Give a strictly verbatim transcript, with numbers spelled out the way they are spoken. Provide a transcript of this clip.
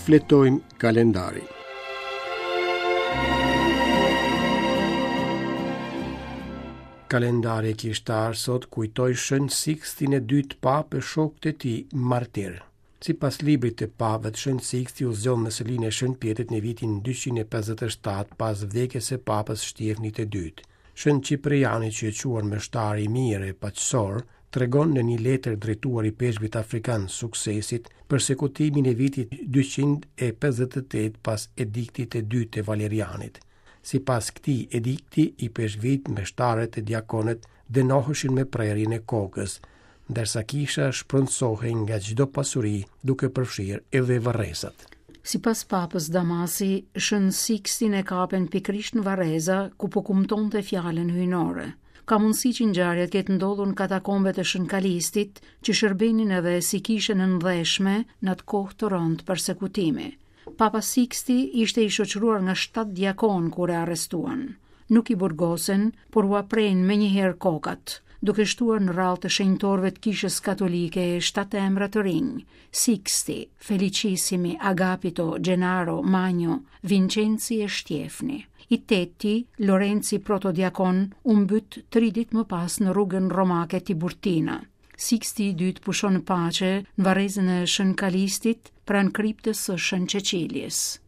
Shfletojmë kalendarin. Kalendari kishtar sot kujtoi Shën Sikstin e dytë papë e shokët e tij martir. Sipas librit të papëve, Shën Siksti u zgjodh në selinë e Shën Pjetrit në vitin dyqind e pesëdhjetë e shtatë pas vdekjes së papës Shtjefnit të dytë. Shën Cipriani, që e quan meshtar i mirë e paqësor, tregon në një letër drejtuar ipeshkvit afrikan Suksesit persekutimin e vitit dyqind e pesëdhjetë e tetë pas ediktit të dytë të Valerianit. Sipas këtij edikti, ipeshkvit, meshtarët e diakonët dënoheshin me prerjen e kokës, ndërsa kisha shpronësohej nga çdo pasuri, duke përfshirë edhe varrezat. Sipas papës Damasi, Shën Sikstin e kapen pikërisht në varreza ku po kumtonte fjalën hyjnore. Ka mundësi që ngjarja të ketë ndodhur në katakombet e Shën Kalistit, që shërbenin edhe si kishën e ndheshme në atë kohë të rëndë persekutimi. Papa Siksti ishte i shoqëruar nga shtatë diakon kur e arrestuan. Nuk i burgosen, por ua prejnë menjëherë kokat, duke shtuar në radhë të shenjtorëve të kishës katolike shtatë emra të rinj: Siksti, Felicissimi, Agapito, Gennaro, Magno, Vincenzi e Shtjefni. I teti, Lorenzi protodiakon, u mbyt tri ditë më pas në rrugën romake Tiburtina. Siksti i dytë pushon në paqe në varrezën e Shën Kalistit pranë kriptës së Shën Cecilies.